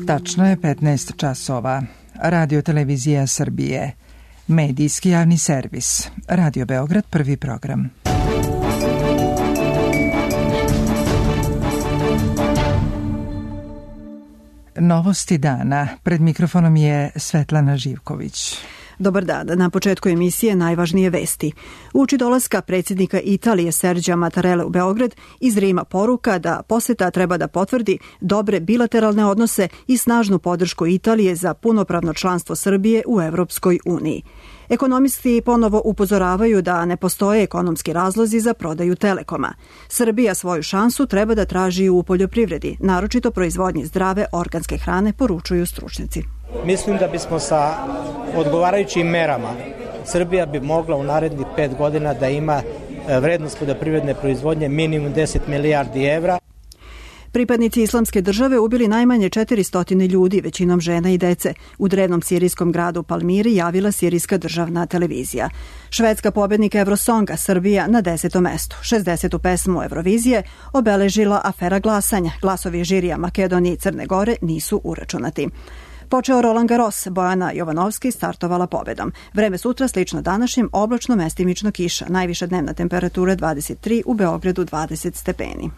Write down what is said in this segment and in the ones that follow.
Tačno je 15 časova. Radio Televizija Srbije. Medijski javni servis. Radio Beograd, prvi program. Novosti dana. Pred mikrofonom je Svetlana Živković. Dobar dan. Na početku emisije najvažnije vesti. Uoči dolaska predsjednika Italije Serđa Mattarelle u Beograd iz Rima poruka da poseta treba da potvrdi dobre bilateralne odnose i snažnu podršku Italije za punopravno članstvo Srbije u Evropskoj uniji. Ekonomisti ponovo upozoravaju da ne postoje ekonomski razlozi za prodaju Telekoma. Srbija svoju šansu treba da traži u poljoprivredi, naročito proizvodnji zdrave organske hrane, poručuju stručnjaci. Mislim da bismo sa odgovarajućim merama Srbija bi mogla u narednih 5 godina da ima vrednost poljoprivredne proizvodnje minimum 10 milijardi evra. Pripadnici Islamske države ubili najmanje 400 ljudi, većinom žena i dece. U drevnom sirijskom gradu Palmiri javila sirijska državna televizija. Švedska pobednika Eurosonga, Srbija na 10. mestu. 60. pesmu Eurovizije obeležila afera glasanja. Glasovi žirija Makedonije i Crne Gore nisu uračunati. Počeo Roland Garros, Bojana Jovanovski startovala pobedom. Vreme sutra slično današnjem, oblačno, mestimično kiša. Najviša dnevna temperatura 23, u Beogradu 20 stepeni.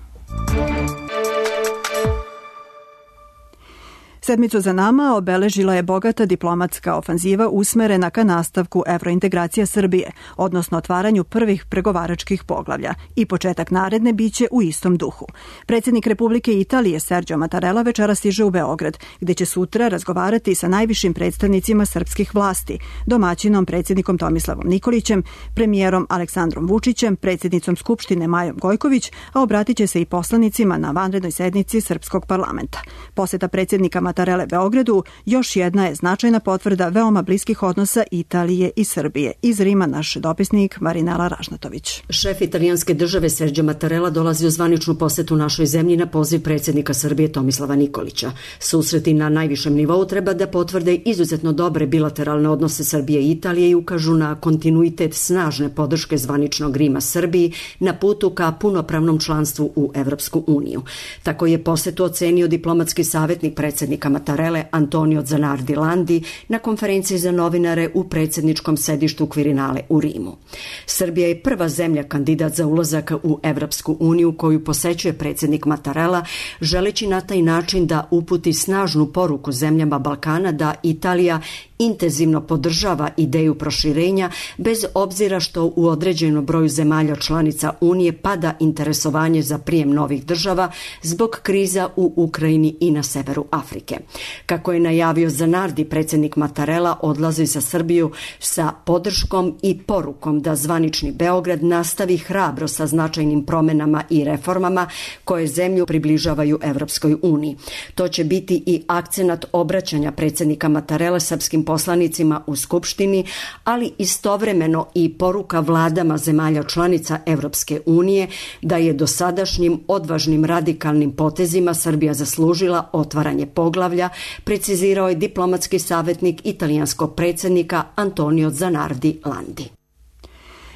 Sedmicu za nama obeležila je bogata diplomatska ofanziva usmerena ka nastavku evrointegracija Srbije, odnosno otvaranju prvih pregovaračkih poglavlja, i početak naredne biće u istom duhu. Predsjednik Republike Italije Serđo Mattarelle večera stiže u Beograd, gde će sutra razgovarati sa najvišim predstavnicima srpskih vlasti, domaćinom predsjednikom Tomislavom Nikolićem, premijerom Aleksandrom Vučićem, predsjednicom Skupštine Majom Gojković, a obratit će se i poslanicima na vanrednoj sednici Srpskog parlamenta. Poseta predsjednika Mattarelle Beogradu još jedna je značajna potvrda veoma bliskih odnosa Italije i Srbije. Iz Rima naš dopisnik Marinela Ražnatović. Šef italijanske države Serđo Mattarelle dolazi u zvaničnu posetu našoj zemlji na poziv predsjednika Srbije Tomislava Nikolića. Susreti na najvišem nivou treba da potvrde izuzetno dobre bilateralne odnose Srbije i Italije i ukažu na kontinuitet snažne podrške zvaničnog Rima Srbiji na putu ka punopravnom članstvu u Evropsku uniju. Tako je posetu ocenio diplomatski savjetnik predsjednika Mattarelle Antonio Zanardi Landi na konferenciji za novinare u predsjedničkom sedištu Quirinale u Rimu. Srbija je prva zemlja kandidat za ulazak u Evropsku uniju koju posećuje predsjednik Mattarella, želeći na taj način da uputi snažnu poruku zemljama Balkana da Italija intenzivno podržava ideju proširenja, bez obzira što u određenom broju zemalja članica Unije pada interesovanje za prijem novih država zbog kriza u Ukrajini i na severu Afrike. Kako je najavio Zanardi, predsjednik Mattarella odlazi za Srbiju sa podrškom i porukom da zvanični Beograd nastavi hrabro sa značajnim promjenama i reformama koje zemlju približavaju Evropskoj uniji. To će biti i akcenat obraćanja predsjednika Mattarella srpskim poslanicima u Skupštini, ali istovremeno i poruka vladama zemalja članica Evropske unije da je dosadašnjim odvažnim radikalnim potezima Srbija zaslužila otvaranje poglavlja, precizirao je diplomatski savjetnik italijanskog predsjednika Antonio Zanardi Landi.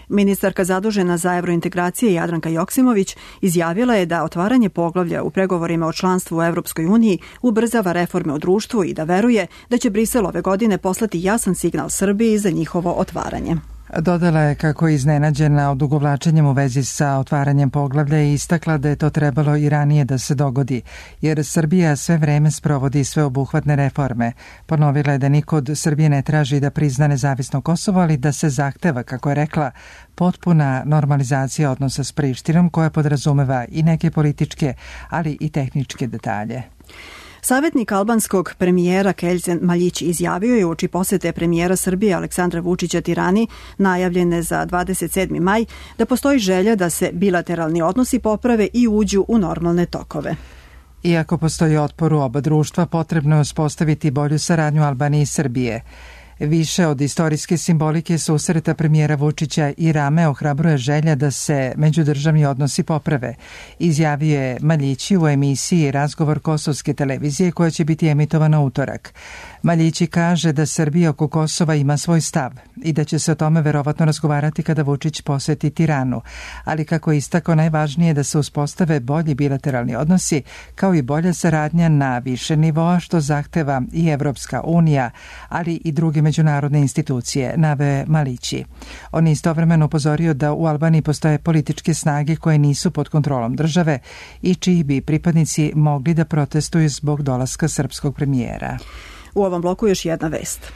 Ministarka zadužena za evrointegracije Jadranka Joksimović izjavila je da otvaranje poglavlja u pregovorima o članstvu u Evropskoj uniji ubrzava reforme u društvu i da veruje da će Brisel ove godine poslati jasan signal Srbiji za njihovo otvaranje. Dodala je kako je iznenađena odugovlačenjem u vezi sa otvaranjem poglavlja i istakla da je to trebalo i ranije da se dogodi, jer Srbija sve vreme sprovodi sveobuhvatne reforme. Ponovila je da niko od Srbije ne traži da prizna nezavisno Kosovo, ali da se zahteva, kako je rekla, potpuna normalizacija odnosa s Prištinom koja podrazumeva i neke političke, ali i tehničke detalje. Savjetnik albanskog premijera Keljzen Maljić izjavio je uoči posete premijera Srbije Aleksandra Vučića Tirani, najavljene za 27. maj, da postoji želja da se bilateralni odnosi poprave i uđu u normalne tokove. Iako postoji otpor u oba društva, potrebno je uspostaviti bolju saradnju Albanije i Srbije. Više od istorijske simbolike susreta premijera Vučića i Rame ohrabruje želja da se međudržavni odnosi poprave, izjavio je Maljići u emisiji Razgovor kosovske televizije koja će biti emitovana utorak. Maljići kaže da Srbija oko Kosova ima svoj stav i da će se o tome verovatno razgovarati kada Vučić poseti Tiranu, ali kako je istakao, najvažnije je da se uspostave bolji bilateralni odnosi kao i bolja saradnja na više nivoa, što zahteva i Evropska unija, ali i druge međunarodne institucije, naveo Maljići. On je istovremeno upozorio da u Albaniji postoje političke snage koje nisu pod kontrolom države i čiji bi pripadnici mogli da protestuju zbog dolaska srpskog premijera. U ovom bloku još jedna vest.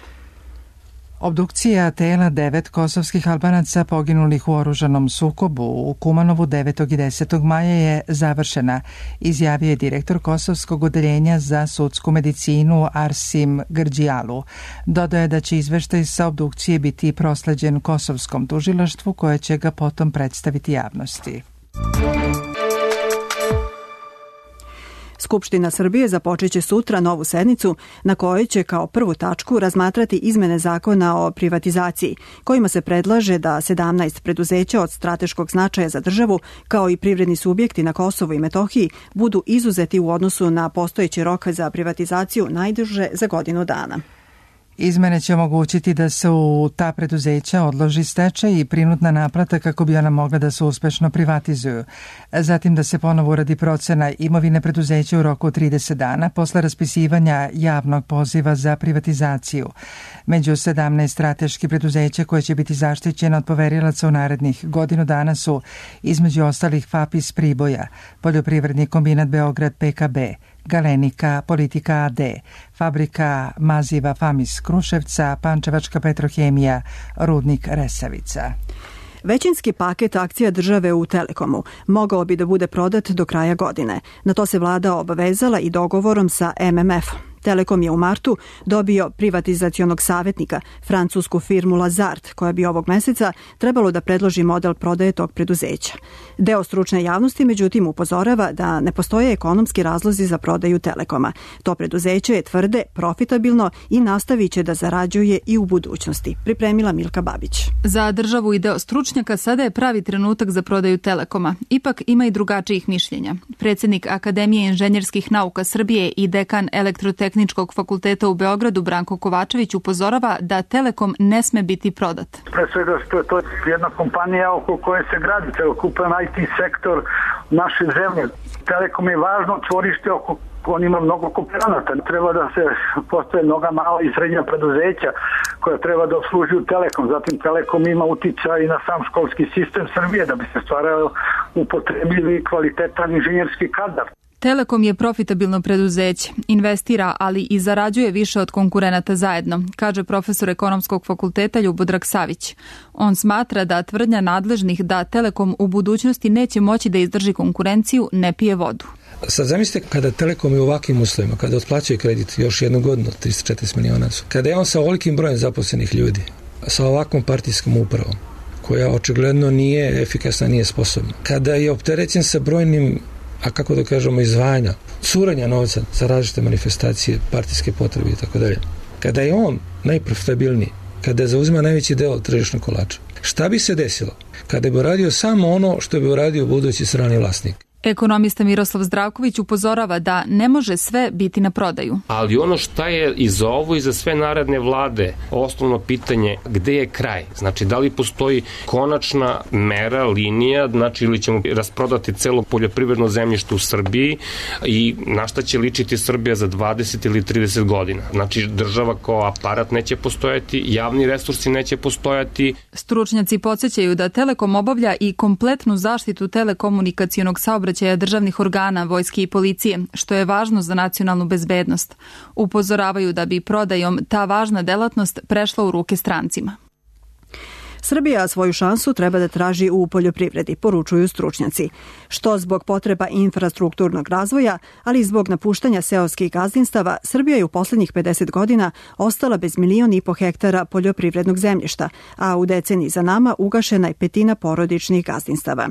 Obdukcija tela 9 kosovskih Albanaca poginulih u oružanom sukobu u Kumanovu 9. i 10. maja je završena, izjavio je direktor Kosovskog odeljenja za sudsku medicinu Arsim Grđijalu. Dodao je da će izveštaj sa obdukcije biti prosleđen Kosovskom tužilaštvu koje će ga potom predstaviti javnosti. Skupština Srbije započeće sutra novu sednicu na kojoj će kao prvu tačku razmatrati izmene zakona o privatizaciji, kojima se predlaže da 17 preduzeća od strateškog značaja za državu, kao i privredni subjekti na Kosovu i Metohiji, budu izuzeti u odnosu na postojeći rok za privatizaciju najduže za godinu dana. Izmene će omogućiti da se u ta preduzeća odloži stečaj i prinudna naplata kako bi ona mogla da se uspešno privatizuju. Zatim da se ponovo uradi procena imovine preduzeća u roku od 30 dana posle raspisivanja javnog poziva za privatizaciju. Među 17 strateških preduzeća koje će biti zaštićena od poverilaca u narednih godinu dana su između ostalih FAP iz Priboja, Poljoprivredni kombinat Beograd PKB, Galenika, Politika AD, Fabrika maziva FAM iz Kruševca, Pančevačka Petrohemija, Rudnik Resavica. Većinski paket akcija države u Telekomu mogao bi da bude prodat do kraja godine. Na to se vlada obavezala i dogovorom sa MMF. Telekom je u martu dobio privatizacionog savjetnika, francusku firmu Lazard, koja bi ovog meseca trebalo da predloži model prodaje tog preduzeća. Deo stručne javnosti, međutim, upozorava da ne postoje ekonomski razlozi za prodaju Telekoma. To preduzeće je tvrde profitabilno i nastavit će da zarađuje i u budućnosti. Pripremila Milka Babić. Za državu i deo stručnjaka sada je pravi trenutak za prodaju Telekoma. Ipak ima i drugačijih mišljenja. Predsjednik Akademije inženjerskih nauka Srbije i dekan Elektrotehničkog fakulteta u Beogradu Branko Kovačević upozorava da Telekom ne sme biti prodat. Pre svega što je to jedna kompanija oko koje se gradi celokupan IT sektor naše zemlje. Telekom je važno čvorište oko on ima mnogo kooperanata. Treba da se postoje mnoga mala i srednja preduzeća koja treba da obslužuju Telekom. Zatim Telekom ima uticaj i na sam školski sistem Srbije da bi se stvarao upotrebili kvalitetan inženjerski kadar. Telekom je profitabilno preduzeće, investira, ali i zarađuje više od konkurenata zajedno, kaže profesor ekonomskog fakulteta Ljubodrag Savić. On smatra da tvrdnja nadležnih da Telekom u budućnosti neće moći da izdrži konkurenciju ne pije vodu. Sad zamislite kada Telekom je u ovakvim uslovima, kada otplaćuje kredit još jednu godinu, 340 miliona, kada je on sa ovolikim brojem zaposlenih ljudi, sa ovakvom partijskom upravom, koja očigledno nije efikasna, nije sposobna, kada je opterećen sa brojnim, a kako da kažemo, izdvajanja, curenja novca za različite manifestacije, partijske potrebe i tako dalje. Kada je on najprofitabilniji, kada zauzima najveći deo tržišnog kolača, šta bi se desilo kada bi uradio samo ono što bi uradio budući strani vlasnik? Ekonomista Miroslav Zdravković upozorava da ne može sve biti na prodaju. Ali ono šta je i za ovo i za sve naredne vlade, osnovno pitanje gde je kraj? Znači, da li postoji konačna mera, linija, znači ili ćemo rasprodati celo poljoprivredno zemljište u Srbiji i na šta će ličiti Srbija za 20 ili 30 godina? Znači, država kao aparat neće postojati, javni resursi neće postojati. Stručnjaci podsjećaju da Telekom obavlja i kompletnu zaštitu telekomunikacionog saobraćaja državnih organa, vojske i policije, što je važno za nacionalnu bezbednost. Upozoravaju da bi prodajom ta važna delatnost prešla u ruke strancima. Srbija svoju šansu treba da traži u poljoprivredi, poručuju stručnjaci. Što zbog potreba infrastrukturnog razvoja, ali i zbog napuštanja seoskih gazdinstava, Srbija je u poslednjih 50 godina ostala bez 1,5 miliona hektara poljoprivrednog zemljišta, a u deceniji za nama ugašena je 1/5 porodičnih gazdinstava.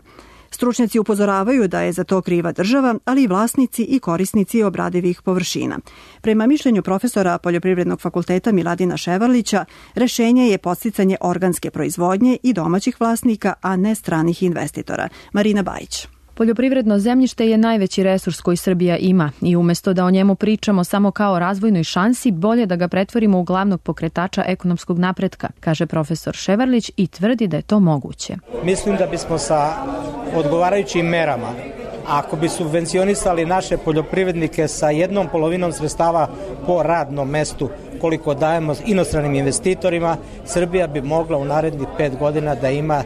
Stručnjaci upozoravaju da je za to kriva država, ali i vlasnici i korisnici obradivih površina. Prema mišljenju profesora Poljoprivrednog fakulteta Miladina Ševarlića, rešenje je podsticanje organske proizvodnje i domaćih vlasnika, a ne stranih investitora. Marina Bajić. Poljoprivredno zemljište je najveći resurs koji Srbija ima i umjesto da o njemu pričamo samo kao razvojnoj šansi, bolje da ga pretvorimo u glavnog pokretača ekonomskog napretka, kaže profesor Ševarlić i tvrdi da je to moguće. Mislim da bismo sa odgovarajućim merama, ako bi subvencionisali naše poljoprivrednike sa 1/2 sredstava po radnom mestu koliko dajemo inostranim investitorima, Srbija bi mogla u narednih 5 godina da ima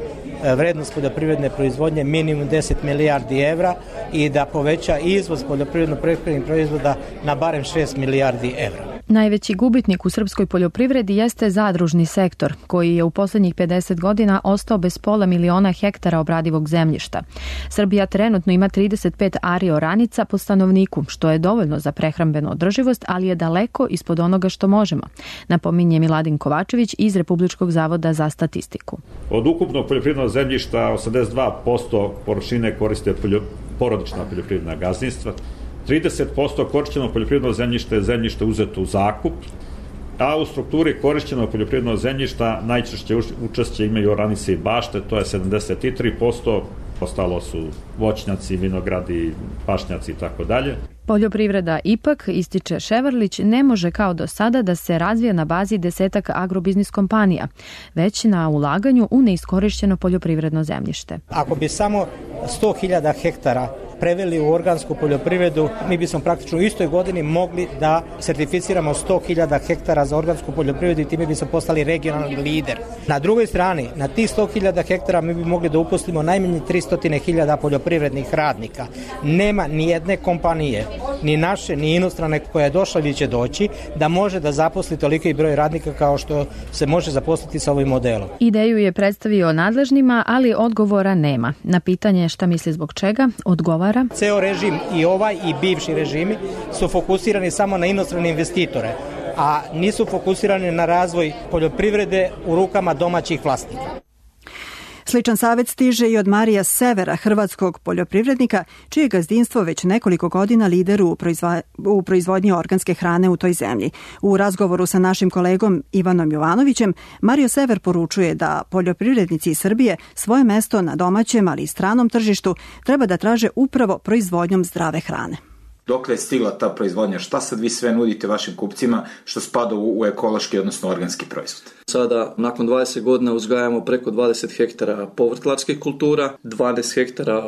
vrednost poljoprivredne proizvodnje minimum 10 milijardi evra i da poveća izvoz poljoprivredno-prehrambenih proizvoda na barem 6 milijardi evra. Najveći gubitnik u srpskoj poljoprivredi jeste zadružni sektor, koji je u poslednjih 50 godina ostao bez 500.000 hektara obradivog zemljišta. Srbija trenutno ima 35 ari oranica po stanovniku, što je dovoljno za prehrambenu održivost, ali je daleko ispod onoga što možemo, napominje Miladin Kovačević iz Republičkog zavoda za statistiku. Od ukupnog poljoprivrednog zemljišta 82% površine koriste porodična poljoprivredna gazdinstva, 30% korišćenog poljoprivrednog zemljišta je zemljište uzeto u zakup, a u strukturi korišćenog poljoprivrednog zemljišta najčešće učešće imaju oranice i bašte, to je 73%, ostalo su voćnjaci, vinogradi, pašnjaci i tako dalje. Poljoprivreda ipak, ističe Ševarlić, ne može kao do sada da se razvije na bazi 10 agrobiznis kompanija, već na ulaganju u neiskorišćeno poljoprivredno zemljište. Ako bi samo 100.000 hektara preveli u organsku poljoprivredu, mi bismo praktično u istoj godini mogli da sertificiramo 100.000 hektara za organsku poljoprivredu i time bismo postali regionalni lider. Na drugoj strani, na tih 100.000 hektara mi bi mogli da uposlimo najmanje 300.000 poljoprivrednih radnika. Nema ni jedne kompanije, ni naše, ni inostrane koja je došla ili će doći, da može da zaposli toliki broj radnika kao što se može zaposliti sa ovim modelom. Ideju je predstavio nadležnima, ali odgovora nema. Na pitanje šta misli zbog čega, odgovara: Ceo režim, i ovaj i bivši režimi, su fokusirani samo na inostrane investitore, a nisu fokusirani na razvoj poljoprivrede u rukama domaćih vlasnika. Sličan savjet stiže i od Marija Severa, hrvatskog poljoprivrednika, čije gazdinstvo već nekoliko godina lider u proizvodnji organske hrane u toj zemlji. U razgovoru sa našim kolegom Ivanom Jovanovićem, Mario Sever poručuje da poljoprivrednici iz Srbije svoje mesto na domaćem, ali i stranom tržištu treba da traže upravo proizvodnjom zdrave hrane. Dokle je stigla ta proizvodnja? Šta sad vi sve nudite vašim kupcima što spada u ekološki, odnosno organski proizvod? Sada, nakon 20 godina, uzgajamo preko 20 hektara povrtlarskih kultura, 12 hektara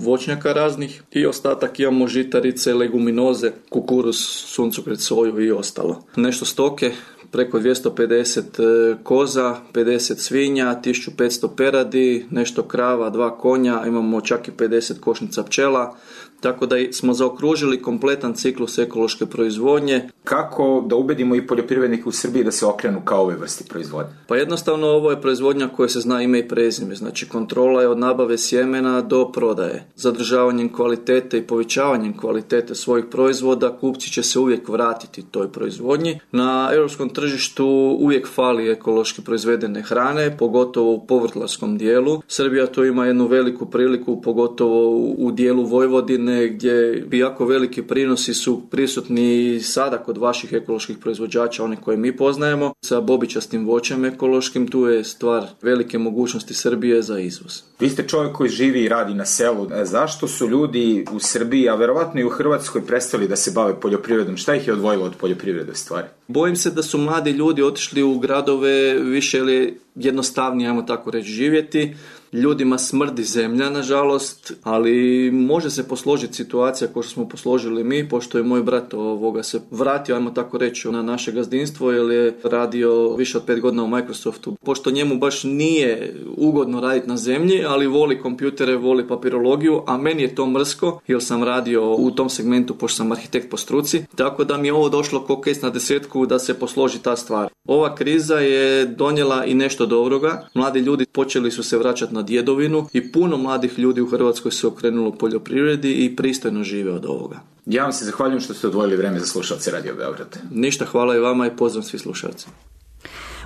voćnjaka raznih i ostatak imamo žitarice, leguminoze, kukuruz, suncokret, soju i ostalo. Nešto stoke, preko 250 koza, 50 svinja, 1500 peradi, nešto krava, 2 konja, imamo čak i 50 košnica pčela, tako da smo zaokružili kompletan ciklus ekološke proizvodnje. Kako da ubedimo i poljoprivrednike u Srbiji da se okrenu kao ove vrsti proizvodnje? Pa jednostavno ovo je proizvodnja koja se zna ime i prezime, znači kontrola je od nabave sjemena do prodaje. Zadržavanjem kvalitete i povećavanjem kvalitete svojih proizvoda kupci će se uvijek vratiti toj proizvodnji. Na europskom tržištu uvijek fali ekološki proizvedene hrane, pogotovo u povrtlarskom dijelu. Srbija tu ima jednu veliku priliku, pogotovo u dijelu Vojvodine, gdje jako veliki prinosi su prisutni sada kod vaših ekoloških proizvođača, one koje mi poznajemo. Sa bobičastim voćem ekološkim, tu je stvar velike mogućnosti Srbije za izvoz. Vi ste čovjek koji živi i radi na selu. Zašto su ljudi u Srbiji, a verovatno i u Hrvatskoj, prestali da se bave poljoprivredom? Šta ih je odvojilo od poljoprivrede stvari? Bojim se da su mladi ljudi otišli u gradove više ili jednostavnije, ajmo tako reći, živjeti. Ljudima smrdi zemlja, nažalost, ali može se posložiti situacija kao što smo posložili mi, pošto je moj brat se vratio, ajmo tako reći, na naše gazdinstvo, jer je radio više od 5 godina u Microsoftu. Pošto njemu baš nije ugodno raditi na zemlji, ali voli kompjutere, voli papirologiju, a meni je to mrsko, jer sam radio u tom segmentu, pošto sam arhitekt po struci, tako da mi je ovo došlo ko kec na desetku da se posloži ta stvar. Ova kriza je donijela i nešto dobroga. Mladi ljudi počeli su se vraćati na djedovinu i puno mladih ljudi u Hrvatskoj se okrenulo poljoprivredi i pristojno žive od ovoga. Ja vam se zahvaljujem što ste odvojili vreme za slušalce Radio Beograd. Ništa, hvala i vama i pozdrav svi slušalci.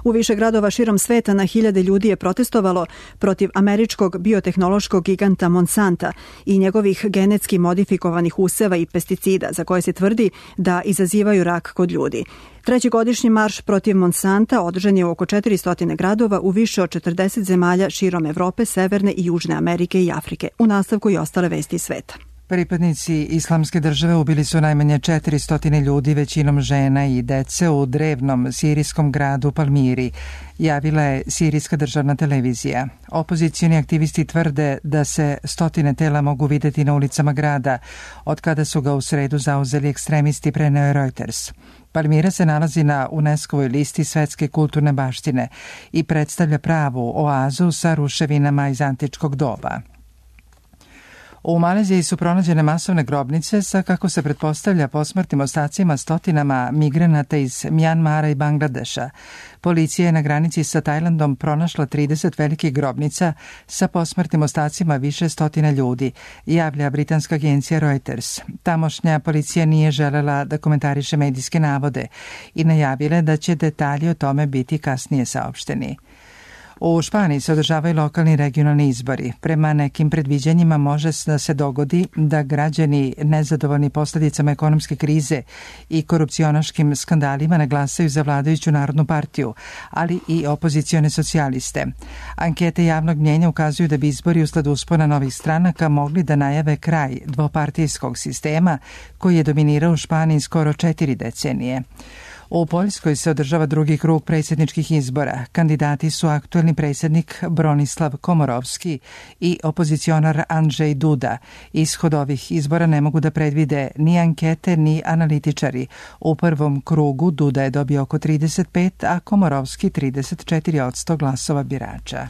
U više gradova širom sveta na hiljade ljudi je protestovalo protiv američkog biotehnološkog giganta Monsanta i njegovih genetski modifikovanih useva i pesticida za koje se tvrdi da izazivaju rak kod ljudi. Treći godišnji marš protiv Monsanta održan je u oko 400 gradova u više od 40 zemalja širom Evrope, Severne i Južne Amerike i Afrike. U nastavku i ostale vesti sveta. Pripadnici Islamske države ubili su najmanje 400 ljudi, većinom žena i dece, u drevnom sirijskom gradu Palmiri, javila je sirijska državna televizija. Opozicioni aktivisti tvrde da se stotine tela mogu videti na ulicama grada, od kada su ga u sredu zauzeli ekstremisti, preneo je Reuters. Palmira se nalazi na UNESCO-voj listi svetske kulturne baštine i predstavlja pravu oazu sa ruševinama iz antičkog doba. U Maleziji su pronađene masovne grobnice sa, kako se pretpostavlja, posmrtnim ostacima stotinama migranata iz Mjanmara i Bangladeša. Policija je na granici sa Tajlandom pronašla 30 velikih grobnica sa posmrtnim ostacima više stotina ljudi, javlja britanska agencija Reuters. Tamošnja policija nije želela da komentariše medijske navode i najavila da će detalji o tome biti kasnije saopšteni. U Španiji se održavaju lokalni i regionalni izbori. Prema nekim predviđanjima može da se dogodi da građani nezadovoljni posljedicama ekonomske krize i korupcionaškim skandalima ne glasaju za vladajuću Narodnu partiju, ali i opozicione socijaliste. Ankete javnog mnjenja ukazuju da bi izbori usled uspona novih stranaka mogli da najave kraj dvopartijskog sistema koji je dominirao u Španiji skoro 4 decenije. U Poljskoj se održava drugi krug predsjedničkih izbora. Kandidati su aktuelni predsjednik Bronislav Komorovski i opozicionar Andrzej Duda. Ishod ovih izbora ne mogu da predvide ni ankete ni analitičari. U prvom krugu Duda je dobio oko 35, a Komorovski 34% glasova birača.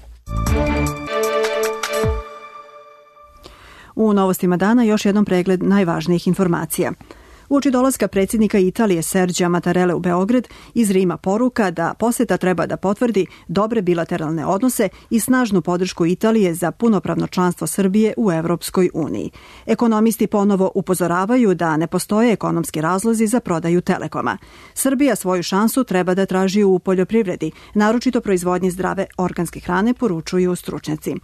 U novostima dana još jednom pregled najvažnijih informacija. Uoči dolaska predsjednika Italije Serđa Mattarelle u Beograd, iz Rima poruka da poseta treba da potvrdi dobre bilateralne odnose i snažnu podršku Italije za punopravno članstvo Srbije u Evropskoj uniji. Ekonomisti ponovo upozoravaju da ne postoje ekonomski razlozi za prodaju Telekoma. Srbija svoju šansu treba da traži u poljoprivredi, naročito proizvodnji zdrave organske hrane, poručuju stručnjaci.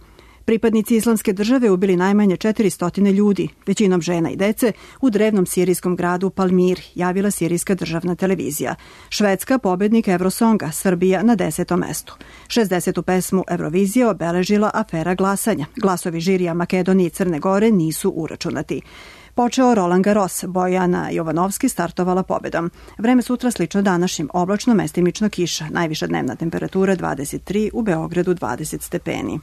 Pripadnici Islamske države ubili najmanje 400 ljudi, većinom žena i dece, u drevnom sirijskom gradu Palmir, javila sirijska državna televizija. Švedska pobednik Eurosonga, Srbija na 10. mestu. 60. pesmu Eurovizije obeležila afera glasanja. Glasovi žirija Makedonije i Crne Gore nisu uračunati. Počeo Roland Garros, Bojana Jovanovski startovala pobedom. Vreme sutra slično današnjim, oblačno, mestimično kiša. Najviša dnevna temperatura 23, u Beogradu 20 stepeni.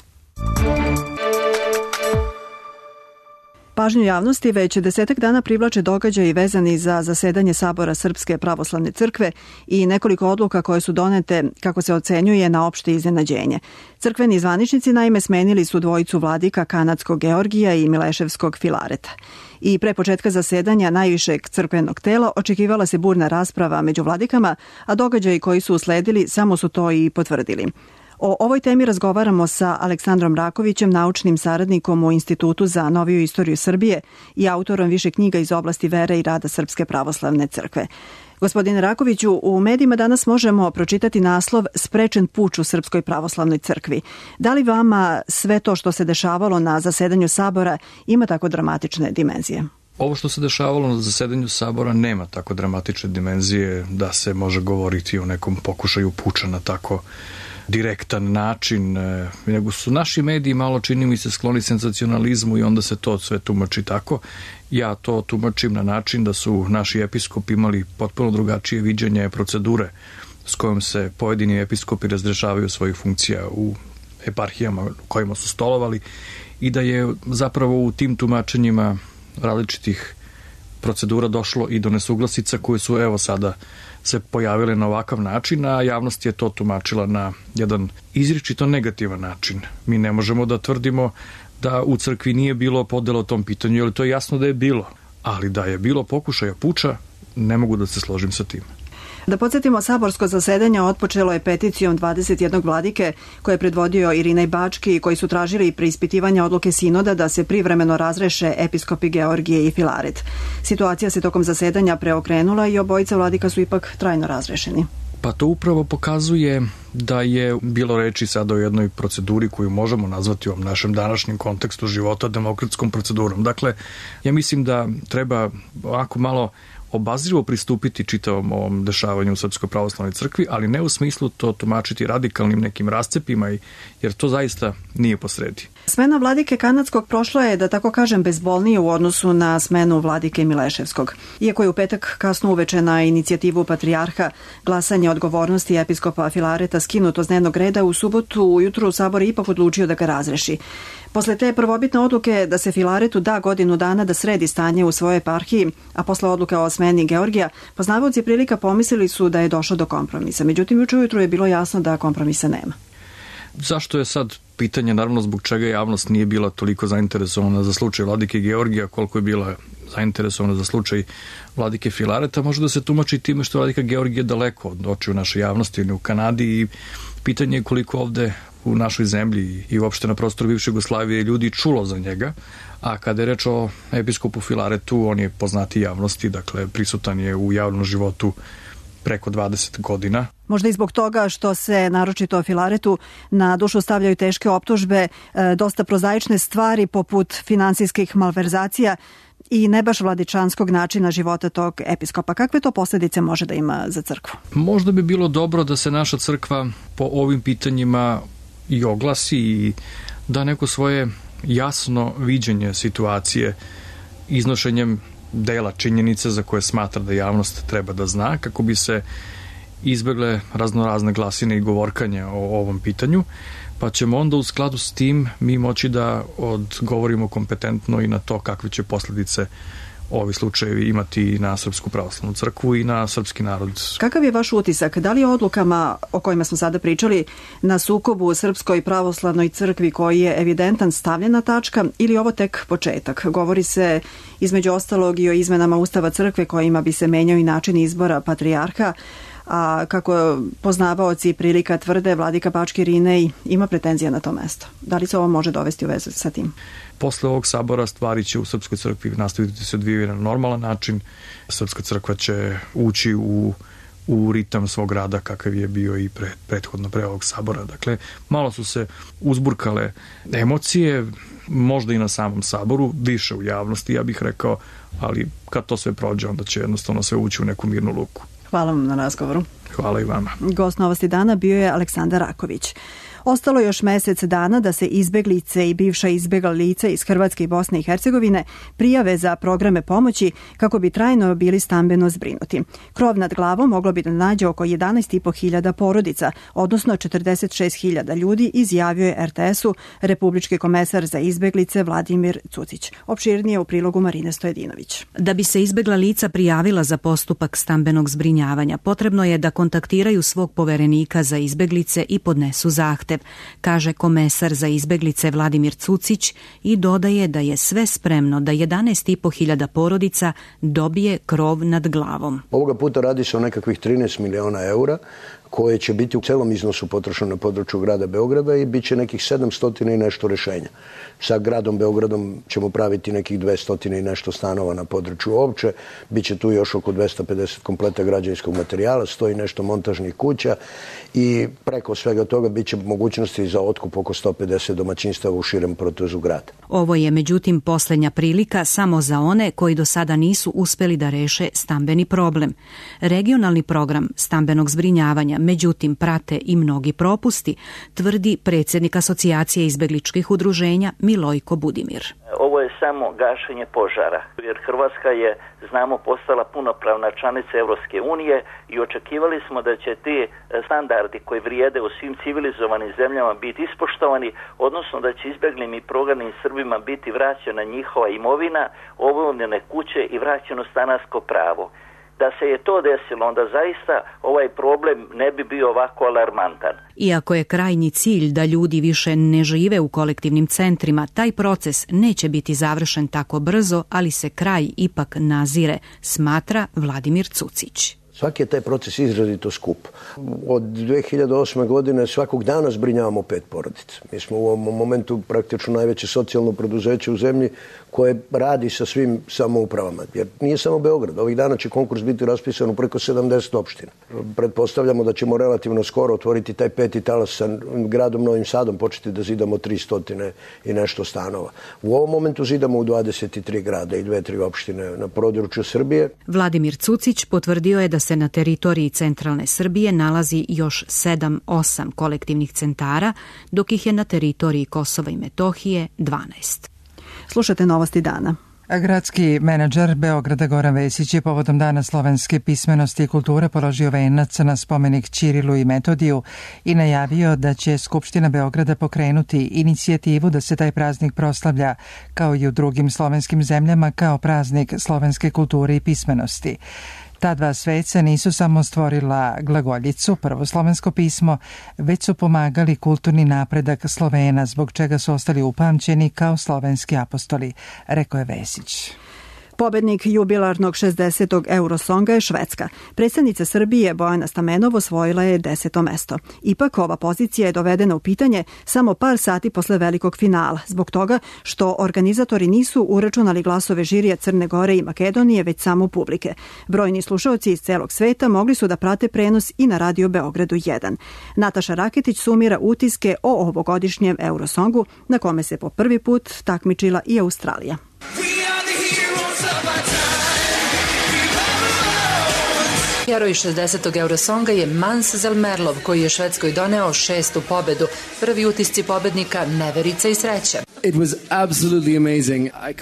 Pažnju javnosti već 10 dana privlače događaji vezani za zasedanje Sabora Srpske pravoslavne crkve i nekoliko odluka koje su donete, kako se ocenjuje, na opšte iznenađenje. Crkveni zvaničnici naime smenili su dvojicu vladika kanadskog Georgija i Mileševskog Filareta. I pre početka zasedanja najvišeg crkvenog tela očekivala se burna rasprava među vladikama, a događaji koji su usledili samo su to i potvrdili. O ovoj temi razgovaramo sa Aleksandrom Rakovićem, naučnim saradnikom u Institutu za noviju istoriju Srbije i autorom više knjiga iz oblasti vere i rada Srpske pravoslavne crkve. Gospodine Rakoviću, u medijima danas možemo pročitati naslov Sprečen puč u Srpskoj pravoslavnoj crkvi. Da li vama sve to što se dešavalo na zasedanju Sabora ima tako dramatične dimenzije? Ovo što se dešavalo na zasedanju Sabora nema tako dramatične dimenzije da se može govoriti o nekom pokušaju puča na tako direktan način, nego su naši mediji malo, čini mi se, skloni senzacionalizmu i onda se to sve tumači tako. Ja to tumačim na način da su naši episkopi imali potpuno drugačije viđenje procedure s kojom se pojedini episkopi razrešavaju svojih funkcija u eparhijama u kojima su stolovali i da je zapravo u tim tumačenjima različitih procedura došlo i do nesuglasica koje su evo sada se pojavile na ovakav način, a javnost je to tumačila na jedan izričito negativan način. Mi ne možemo da tvrdimo da u crkvi nije bilo podela o tom pitanju, jer to je jasno da je bilo, ali da je bilo pokušaja puča, ne mogu da se složim sa tim. Da podsjetimo, saborsko zasedanje otpočelo je peticijom 21 vladike koje je predvodio Irinej Bački, koji su tražili preispitivanje odluke sinoda da se privremeno razreše episkopi Georgije i Filaret. Situacija se tokom zasedanja preokrenula i obojica vladika su ipak trajno razrešeni. Pa to upravo pokazuje da je bilo reči sada o jednoj proceduri koju možemo nazvati u ovom našem današnjem kontekstu života demokratskom procedurom. Dakle, ja mislim da treba ovako malo obazrivo pristupiti čitavom ovom dešavanju u Srpskoj pravoslavnoj crkvi, ali ne u smislu to tumačiti radikalnim nekim rascepima, jer to zaista nije posredi. Smena vladike Kanadskog prošla je, da tako kažem, bezbolnije u odnosu na smenu vladike Mileševskog. Iako je u petak kasno uveče na inicijativu patrijarha glasanje odgovornosti episkopa Filareta skinuto s dnevnog reda, u subotu ujutru Sabor je ipak odlučio da ga razreši. Posle te prvobitne odluke da se Filaretu da godinu dana da sredi stanje u svojoj eparhiji, a posle odluke o smeni Georgija, poznavaoci prilika pomislili su da je došlo do kompromisa. Međutim, juče ujutru je bilo jasno da kompromisa nema. Zašto je sad pitanje, naravno, zbog čega javnost nije bila toliko zainteresovana za slučaj vladike Georgija, koliko je bila zainteresovana za slučaj vladike Filareta, može da se tumači time što vladika Georgije daleko od očiju naše javnosti ili u Kanadi i pitanje je koliko ovde u našoj zemlji i uopšte na prostoru bivše Jugoslavije ljudi čulo za njega, a kada je reč o episkopu Filaretu, on je poznati javnosti, dakle prisutan je u javnom životu preko 20 godina. Možda i zbog toga što se, naročito o Filaretu, na dušu stavljaju teške optužbe, dosta prozaične stvari poput finansijskih malverzacija i ne baš vladičanskog načina života tog episkopa. Kakve to posljedice može da ima za crkvu? Možda bi bilo dobro da se naša crkva po ovim pitanjima i oglasi i da neko svoje jasno viđenje situacije iznošenjem dela činjenice za koje smatra da javnost treba da zna, kako bi se izbegle raznorazne glasine i govorkanja o ovom pitanju, pa ćemo onda u skladu s tim mi moći da odgovorimo kompetentno i na to kakve će posljedice ovi slučajevi imati na Srpsku pravoslavnu crkvu i na srpski narod. Kakav je vaš utisak? Da li je odlukama o kojima smo sada pričali na sukobu u Srpskoj pravoslavnoj crkvi koji je evidentan stavljena tačka ili ovo tek početak? Govori se između ostalog i o izmenama Ustava crkve kojima bi se menjao i način izbora patrijarha, a kako poznavaoci prilika tvrde, vladika Bački Irinej ima pretenzija na to mesto. Da li se ovo može dovesti u vezu sa tim? Posle ovog sabora stvari će u Srpskoj crkvi nastaviti se odvijati na normalan način. Srpska crkva će ući u ritam svog rada kakav je bio i prethodno pre ovog sabora. Dakle, malo su se uzburkale emocije, možda i na samom saboru, više u javnosti, ja bih rekao, ali kad to sve prođe, onda će jednostavno sve ući u neku mirnu luku. Hvala vam na razgovoru. Hvala i vama. Gost Novosti dana bio je Aleksandar Raković. Ostalo još mesec dana da se izbeglice i bivša izbegla lica iz Hrvatske i Bosne i Hercegovine prijave za programe pomoći kako bi trajno bili stambeno zbrinuti. Krov nad glavom moglo bi da nađe oko 11.500 porodica, odnosno 46.000 ljudi, izjavio je RTS-u republički komesar za izbeglice Vladimir Cucić. Opširnije u prilogu Marine Stojedinović. Da bi se izbegla lica prijavila za postupak stambenog zbrinjavanja, potrebno je da kontaktiraju svog poverenika za izbeglice i podnesu zahtev, kaže komesar za izbeglice Vladimir Cucić i dodaje da je sve spremno da 11.500 porodica dobije krov nad glavom. Ovoga puta radi se o nekakvih 13 miliona eura koje će biti u celom iznosu potrošeno na području grada Beograda i bit će nekih 700 i nešto rešenja. Sa gradom Beogradom ćemo praviti nekih 200 i nešto stanova na području opće, bit će tu još oko 250 kompleta građevinskog materijala, 100 i nešto montažnih kuća i preko svega toga bit će mogućnosti za otkup oko 150 domaćinstava u širem protezu grada. Ovo je međutim posljednja prilika samo za one koji do sada nisu uspeli da reše stambeni problem. Regionalni program stambenog zbrinjavanja međutim prate i mnogi propusti, tvrdi predsjednik Asocijacije izbegličkih udruženja Milojko Budimir. Ovo je samo gašenje požara, jer Hrvatska je, znamo, postala punopravna članica Europske unije i očekivali smo da će ti standardi koji vrijede u svim civilizovanim zemljama biti ispoštovani, odnosno da će izbjeglim i prognanim Srbima biti vraćena njihova imovina, obnovljene kuće i vraćeno stanarsko pravo. Da se je to desilo, onda zaista ovaj problem ne bi bio ovako alarmantan. Iako je krajnji cilj da ljudi više ne žive u kolektivnim centrima, taj proces neće biti završen tako brzo, ali se kraj ipak nazire, smatra Vladimir Cucić. Svaki je taj proces izrazito skup. Od 2008. godine svakog dana zbrinjavamo 5 porodica. Mi smo u ovom momentu praktično najveće socijalno preduzeće u zemlji koje radi sa svim samoupravama. Jer nije samo Beograd. Ovih dana će konkurs biti raspisan u preko 70 opština. Pretpostavljamo da ćemo relativno skoro otvoriti taj 5. talas sa gradom Novim Sadom, početi da zidamo 300 i nešto stanova. U ovom momentu zidamo u 23 grada i 2-3 opštine na području Srbije. Vladimir Cucić potvrdio je da se na teritoriji centralne Srbije nalazi još 7-8 kolektivnih centara, dok ih je na teritoriji Kosova i Metohije 12. Slušate Novosti dana. Gradski menadžer Beograda Goran Vesić je povodom Dana slovenske pismenosti i kulture položio venac na spomenik Ćirilu i Metodiju i najavio da će Skupština Beograda pokrenuti inicijativu da se taj praznik proslavlja, kao i u drugim slovenskim zemljama, kao praznik slovenske kulture i pismenosti. Ta dva sveca nisu samo stvorila glagoljicu, prvo slovensko pismo, već su pomagali kulturni napredak Slovena, zbog čega su ostali upamćeni kao slovenski apostoli, rekao je Vesić. Pobednik jubilarnog 60. Eurosonga je Švedska. Predstavnica Srbije Bojana Stamenov osvojila je 10. mesto. Ipak ova pozicija je dovedena u pitanje samo par sati posle velikog finala, zbog toga što organizatori nisu uračunali glasove žirija Crne Gore i Makedonije, već samo publike. Brojni slušaoci iz celog sveta mogli su da prate prenos i na Radio Beogradu 1. Nataša Raketić sumira utiske o ovogodišnjem Eurosongu, na kome se po prvi put takmičila i Australija. Heroj 60. Eurosonga je Mans Zelmerlov, koji je Švedskoj doneo 6. pobedu. Prvi utisci pobednika, neverica i sreća.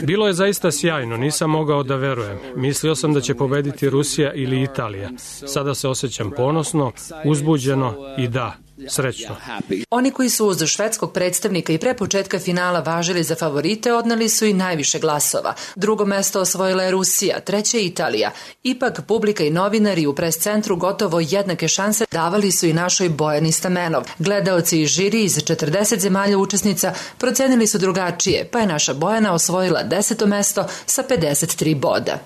Bilo je zaista sjajno, nisam mogao da verujem. Mislio sam da će pobediti Rusija ili Italija. Sada se osjećam ponosno, uzbuđeno i da, srećno. Oni koji su uz švedskog predstavnika i pre početka finala važili za favorite odneli su i najviše glasova. Drugo mesto osvojila je Rusija, treće Italija. Ipak publika i novinari u pres centru gotovo jednake šanse davali su i našoj Bojani Stamenov. Gledaoci i žiri iz 40 zemalja učesnica procenili su drugačije, pa je naša Bojana osvojila 10. mesto sa 53 boda.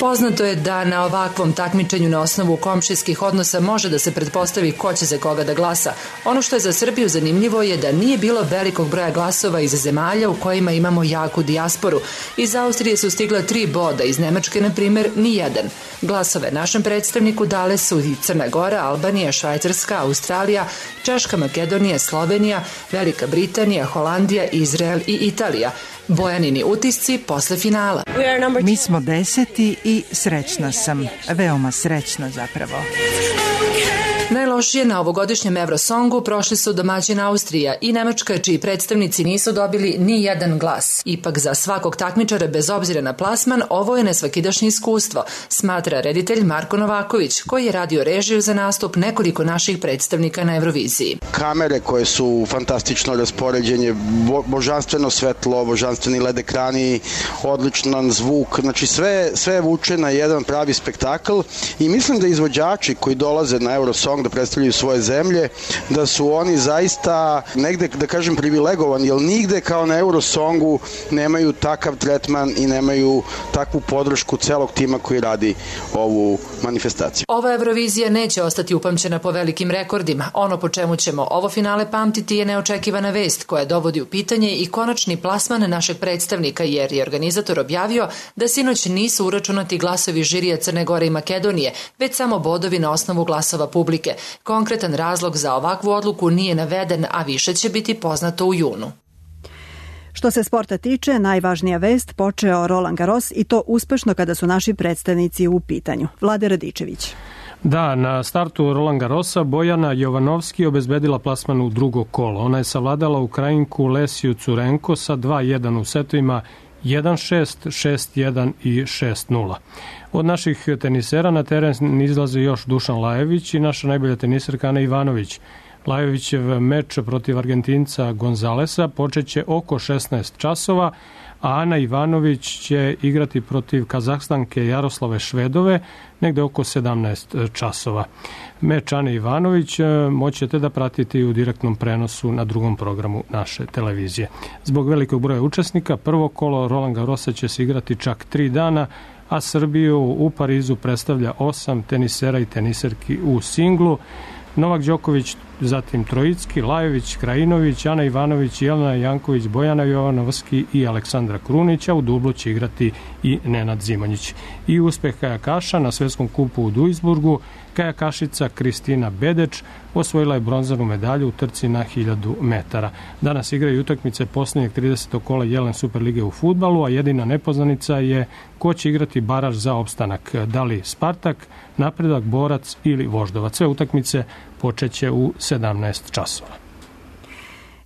Poznato je da na ovakvom takmičenju na osnovu komšijskih odnosa može da se pretpostavi ko će za koga da glasa. Ono što je za Srbiju zanimljivo je da nije bilo velikog broja glasova iz zemalja u kojima imamo jaku dijasporu. Iz Austrije su stigla 3 boda, iz Nemačke, na primjer, ni jedan. Glasove našem predstavniku dale su i Crna Gora, Albanija, Švajcarska, Australija, Češka, Makedonija, Slovenija, Velika Britanija, Holandija, Izrael i Italija. Bojanini utisci posle finala. Mi smo 10. i srećna sam. Veoma srećna zapravo. Najlošije na ovogodišnjem Eurosongu prošli su domaćin Austrija i Nemačka, čiji predstavnici nisu dobili ni jedan glas. Ipak za svakog takmičara, bez obzira na plasman, ovo je nesvakidašnje iskustvo, smatra reditelj Marko Novaković, koji je radio režiju za nastup nekoliko naših predstavnika na Euroviziji. Kamere koje su fantastično raspoređenje, božanstveno svetlo, božanstveni LED ekrani, odličan zvuk, znači sve vuče na jedan pravi spektakl i mislim da izvođači koji dolaze na Eurosong da predstavljaju svoje zemlje, da su oni zaista negde, da kažem, privilegovani, jer nigde kao na Eurosongu nemaju takav tretman i nemaju takvu podršku celog tima koji radi ovu manifestaciju. Ova Eurovizija neće ostati upamćena po velikim rekordima. Ono po čemu ćemo ovo finale pamtiti je neočekivana vest koja dovodi u pitanje i konačni plasman našeg predstavnika, jer je organizator objavio da sinoć nisu uračunati glasovi žirija Crne Gore i Makedonije, već samo bodovi na osnovu glasova publike. Konkretan razlog za ovakvu odluku nije naveden, a više će biti poznato u junu. Što se sporta tiče, najvažnija vest, počeo Roland Garros i to uspešno kada su naši predstavnici u pitanju. Vlade Radičević. Da, na startu Roland Garrosa Bojana Jovanovski obezbedila plasman u drugo kolo. Ona je savladala Ukrajinku Lesiju Curenko sa 2-1 u setovima 1-6, 6-1 i 6-0. Od naših tenisera na teren izlaze još Dušan Lajević i naša najbolja teniserka Ana Ivanović. Lajevićev meč protiv Argentinca Gonzalesa počeće oko 16 časova, a Ana Ivanović će igrati protiv Kazahstanke Jaroslave Švedove negde oko 17 časova. Meč Ane Ivanović moćete da pratite u direktnom prenosu na drugom programu naše televizije. Zbog velikog broja učesnika, prvo kolo Roland Garrosa će se igrati čak 3 dana, a Srbiju u Parizu predstavlja 8 tenisera i teniserki u singlu. Novak Đoković, zatim Trojicki, Lajović, Krajinović, Ana Ivanović, Jelena Janković, Bojana Jovanovski i Aleksandra Krunić, a u dublu će igrati i Nenad Zimonjić. I uspeh kajakaša na svetskom kupu u Duisburgu, kajakašica Kristina Bedeč osvojila je bronzanu medalju u trci na 1000 metara. Danas igraju utakmice posljednjeg 30. kola Jelen Superlige u fudbalu, a jedina nepoznanica je ko će igrati baraž za opstanak. Da li Spartak, Napredak, Borac ili Voždovac. Sve utakmice počeće u 17 časova.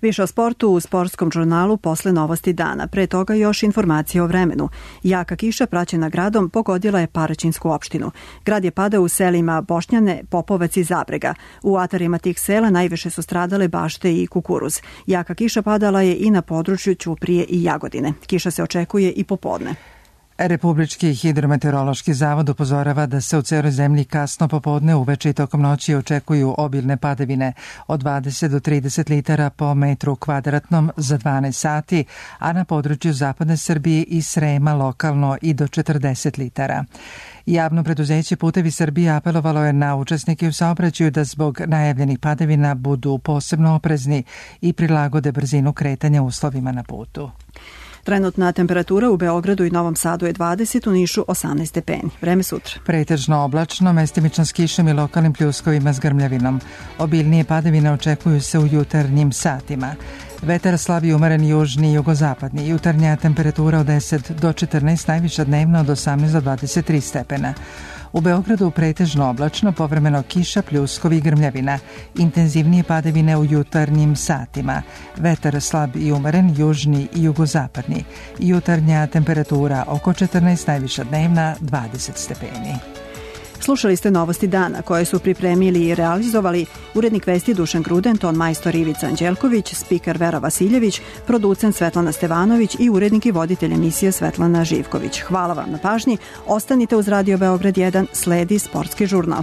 Više o sportu u sportskom žurnalu posle novosti dana. Pre toga još informacije o vremenu. Jaka kiša praćena gradom pogodila je Paraćinsku opštinu. Grad je padao u selima Bošnjane, Popovac i Zabrega. U atarima tih sela najviše su stradale bašte i kukuruz. Jaka kiša padala je i na području Ćuprije i Jagodine. Kiša se očekuje i popodne. Republički hidrometeorološki zavod upozorava da se u celoj zemlji kasno popodne, uveče i tokom noći očekuju obilne padavine od 20 do 30 litara po metru kvadratnom za 12 sati, a na području zapadne Srbije i Srema lokalno i do 40 litara. Javno preduzeće Putevi Srbije apelovalo je na učesnike u saobraćaju da zbog najavljenih padavina budu posebno oprezni i prilagode brzinu kretanja uslovima na putu. Trenutna temperatura u Beogradu i Novom Sadu je 20, u Nišu 18 stepeni. Vreme sutra. Pretežno oblačno, mestimično s kišom i lokalnim pljuskovima s grmljavinom. Obilnije padavine očekuju se u jutarnjim satima. Vetar slab i umeren južni i jugozapadni. Jutarnja temperatura od 10 do 14, najviša dnevna od 18 do 23 stepena. U Beogradu pretežno oblačno, povremeno kiša, pljuskovi i grmljavina. Intenzivnije padavine u jutarnjim satima. Vetar slab i umeren, južni i jugozapadni. Jutarnja temperatura oko 14, najviša dnevna 20 stepeni. Slušali ste novosti dana koje su pripremili i realizovali urednik vesti Dušan Gruden, ton majstor Ivica Anđelković, spiker Vera Vasiljević, producent Svetlana Stevanović i urednik i voditelj emisije Svetlana Živković. Hvala vam na pažnji. Ostanite uz Radio Beograd 1, sledi sportski žurnal.